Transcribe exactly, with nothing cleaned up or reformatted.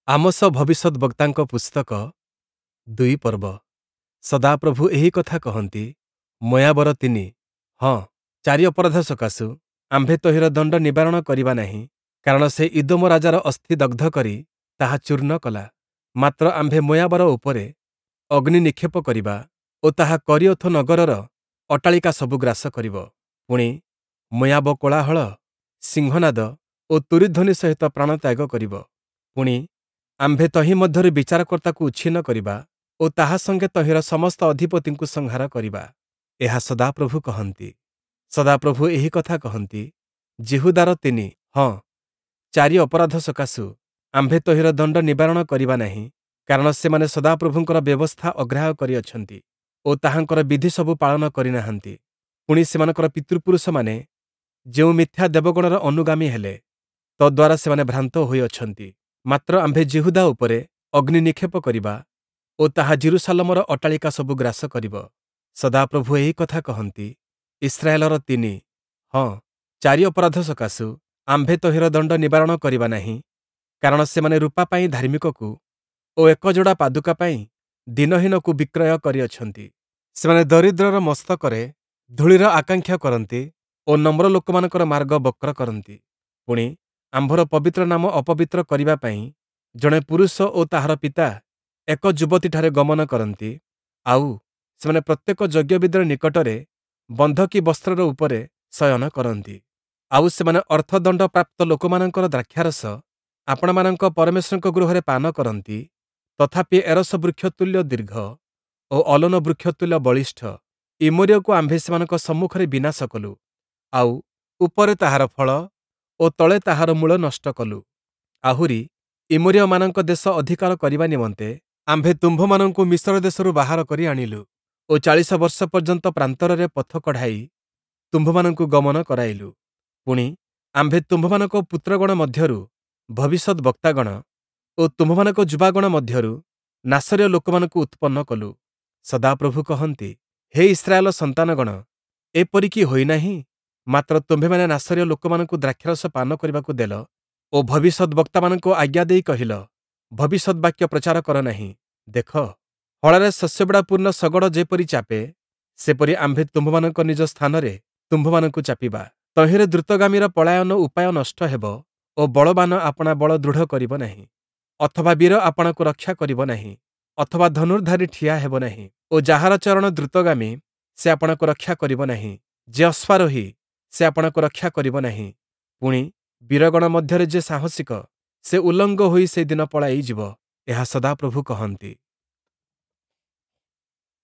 Amos ଭବିଷ୍ୟଦ୍‌ବକ୍ତାଙ୍କ ପୁସ୍ତକ ଦୁଇ ପର୍ବ। ସଦାପ୍ରଭୁ ଏହି କଥା କହନ୍ତି, ମୋୟାବର ତିନି, ହଁ, ଚାରି ଅପରାଧ ସକାଶୁ ଆମ୍ଭେ ତହିଁର ଦଣ୍ଡ ନିବାରଣ କରିବା ନାହିଁ, କାରଣ ସେ ଇଦୋମ ରାଜାର ଅସ୍ଥି ଦଗ୍ଧ କରି ତାହା ଚୂର୍ଣ୍ଣ କଲା। ମାତ୍ର ଆମ୍ଭେ ମୋୟାବର ଉପରେ ଅଗ୍ନି ନିକ୍ଷେପ କରିବା ଓ ତାହା କରିୟୋଥ ନଗରର ଅଟ୍ଟାଳିକା ସବୁ ଗ୍ରାସ କରିବ। ପୁଣି, ମୋୟାବ କୋଳାହଳ, ସିଂହନାଦ ଓ ତୂରୀଧ୍ୱନି ସହିତ ପ୍ରାଣତ୍ୟାଗ କରିବ। ପୁଣି, ଆମ୍ଭେ ତହିଁ ମଧ୍ୟରୁ ବିଚାରକର୍ତ୍ତାକୁ ଉଚ୍ଛିନ୍ନ କରିବା ଓ ତାହା ସଙ୍ଗେ ତହିଁର ସମସ୍ତ ଅଧିପତିଙ୍କୁ ସଂହାର କରିବା। ଏହା ସଦାପ୍ରଭୁ କହନ୍ତି। ସଦାପ୍ରଭୁ ଏହି କଥା କହନ୍ତି, ଯିହୁଦାର ତିନି, ହଁ, ଚାରି ଅପରାଧ ସକାଶୁ ଆମ୍ଭେ ତହିଁର ଦଣ୍ଡ ନିବାରଣ କରିବା ନାହିଁ, କାରଣ ସେମାନେ ସଦାପ୍ରଭୁଙ୍କର ବ୍ୟବସ୍ଥା ଅଗ୍ରାହ୍ୟ କରିଅଛନ୍ତି ଓ ତାହାଙ୍କର ବିଧିସବୁ ପାଳନ କରି ନାହାନ୍ତି। ପୁଣି ସେମାନଙ୍କର ପିତୃପୁରୁଷମାନେ ଯେଉଁ ମିଥ୍ୟା ଦେବଗଣର ଅନୁଗାମୀ ହେଲେ, ତଦ୍ଦ୍ୱାରା ସେମାନେ ଭ୍ରାନ୍ତ ହୋଇଅଛନ୍ତି। ମାତ୍ର ଆମ୍ଭେ ଯିହୁଦା ଉପରେ ଅଗ୍ନି ନିକ୍ଷେପ କରିବା ଓ ତାହା ଯିରୂଶାଲମର ଅଟ୍ଟାଳିକା ସବୁ ଗ୍ରାସ କରିବ। ସଦାପ୍ରଭୁ ଏହି କଥା କହନ୍ତି, ଇସ୍ରାଏଲର ତିନି, ହଁ, ଚାରି ଅପରାଧ ସକାଶୁ ଆମ୍ଭେ ତହିଁର ଦଣ୍ଡ ନିବାରଣ କରିବା ନାହିଁ, କାରଣ ସେମାନେ ରୂପା ପାଇଁ ଧାର୍ମିକକୁ ଓ ଏକ ଯୋଡ଼ା ପାଦୁକା ପାଇଁ ଦୀନହୀନକୁ ବିକ୍ରୟ କରିଅଛନ୍ତି। ସେମାନେ ଦରିଦ୍ରର ମସ୍ତକରେ ଧୂଳିର ଆକାଂକ୍ଷା କରନ୍ତି ଓ ନମ୍ର ଲୋକମାନଙ୍କର ମାର୍ଗ ବକ୍ର କରନ୍ତି। ପୁଣି, ଆମ୍ଭର ପବିତ୍ର ନାମ ଅପବିତ୍ର କରିବା ପାଇଁ ଜଣେ ପୁରୁଷ ଓ ତାହାର ପିତା ଏକ ଯୁବତୀଠାରେ ଗମନ କରନ୍ତି, ଆଉ, ସେମାନେ ପ୍ରତ୍ୟେକ ଯଜ୍ଞବେଦିର ନିକଟରେ ବନ୍ଧକୀ ବସ୍ତ୍ରର ଉପରେ ଶୟନ କରନ୍ତି। ଆଉ ସେମାନେ ଅର୍ଥଦଣ୍ଡ ପ୍ରାପ୍ତ ଲୋକମାନଙ୍କର ଦ୍ରାକ୍ଷାରସ ଆପଣାମାନଙ୍କ ପରମେଶ୍ୱରଙ୍କ ଗୃହରେ ପାନ କରନ୍ତି। ତଥାପି ଏରସ ବୃକ୍ଷ ତୁଲ୍ୟ ଦୀର୍ଘ ଓ ଅଲୋନ ବୃକ୍ଷ ତୁଲ୍ୟ ବଳିଷ୍ଠ ଇମୋରୀୟକୁ ଆମ୍ଭେ ସେମାନଙ୍କ ସମ୍ମୁଖରେ ବିନାଶ କଲୁ, ଆଉ, ଉପରେ ତାହାର ଫଳ ଓ ତଳେ ତାହାର ମୂଳ ନଷ୍ଟ କଲୁ। ଆହୁରି, ଇମୋରୀୟମାନଙ୍କ ଦେଶ ଅଧିକାର କରିବା ନିମନ୍ତେ ଆମ୍ଭେ ତୁମ୍ଭମାନଙ୍କୁ ମିଶର ଦେଶରୁ ବାହାର କରି ଆଣିଲୁ ଓ ଚାଳିଶ ବର୍ଷ ପର୍ଯ୍ୟନ୍ତ ପ୍ରାନ୍ତରରେ ପଥ କଢ଼ାଇ ତୁମ୍ଭମାନଙ୍କୁ ଗମନ କରାଇଲୁ। ପୁଣି, ଆମ୍ଭେ ତୁମ୍ଭମାନଙ୍କ ପୁତ୍ରଗଣ ମଧ୍ୟରୁ ଭବିଷ୍ୟଦ୍‌ବକ୍ତାଗଣ ଓ ତୁମ୍ଭମାନଙ୍କ ଯୁବାଗଣ ମଧ୍ୟରୁ ନାସରୀୟ ଲୋକମାନଙ୍କୁ ଉତ୍ପନ୍ନ କଲୁ। ସଦାପ୍ରଭୁ କହନ୍ତି, ହେ ଇସ୍ରାଏଲ ସନ୍ତାନଗଣ, ଏପରି କି ହୋଇନାହିଁ? ମାତ୍ର ତୁମ୍ଭେମାନେ ନାସରୀୟ ଲୋକମାନଙ୍କୁ ଦ୍ରାକ୍ଷାରସ ପାନ କରିବାକୁ ଦେଲ ଓ ଭବିଷ୍ୟଦ୍‌ବକ୍ତାମାନଙ୍କୁ ଆଜ୍ଞା ଦେଇ କହିଲ, ଭବିଷ୍ୟଦ୍‌ବାକ୍ୟ ପ୍ରଚାର କର ନାହିଁ। ଦେଖ, ହଳରେ ଶସ୍ୟବିଡ଼ା ପୂର୍ଣ୍ଣ ଶଗଡ଼ ଯେପରି ଚାପେ, ସେପରି ଆମ୍ଭେ ତୁମ୍ଭମାନଙ୍କ ନିଜ ସ୍ଥାନରେ ତୁମ୍ଭମାନଙ୍କୁ ଚାପିବା। ତହିଁରେ ଦ୍ରୁତଗାମୀର ପଳାୟନ ଉପାୟ ନଷ୍ଟ ହେବ ଓ ବଳବାନ ଆପଣା ବଳ ଦୃଢ଼ କରିବ ନାହିଁ, ଅଥବା ବୀର ଆପଣାକୁ ରକ୍ଷା କରିବ ନାହିଁ, ଅଥବା ଧନୁର୍ଦ୍ଧାରୀ ଠିଆ ହେବ ନାହିଁ, ଓ ଯାହାର ଚରଣ ଦ୍ରୁତଗାମୀ, ସେ ଆପଣାକୁ ରକ୍ଷା କରିବ ନାହିଁ, ଯେ ଅଶ୍ୱାରୋହୀ, ସେ ଆପଣାକୁ ରକ୍ଷା କରିବ ନାହିଁ। ପୁଣି, ବୀରଗଣ ମଧ୍ୟରେ ଯେ ସାହସିକ, ସେ ଉଲଙ୍ଗ ହୋଇ ସେଦିନ ପଳାଇଯିବ। ଏହା ସଦାପ୍ରଭୁ କହନ୍ତି।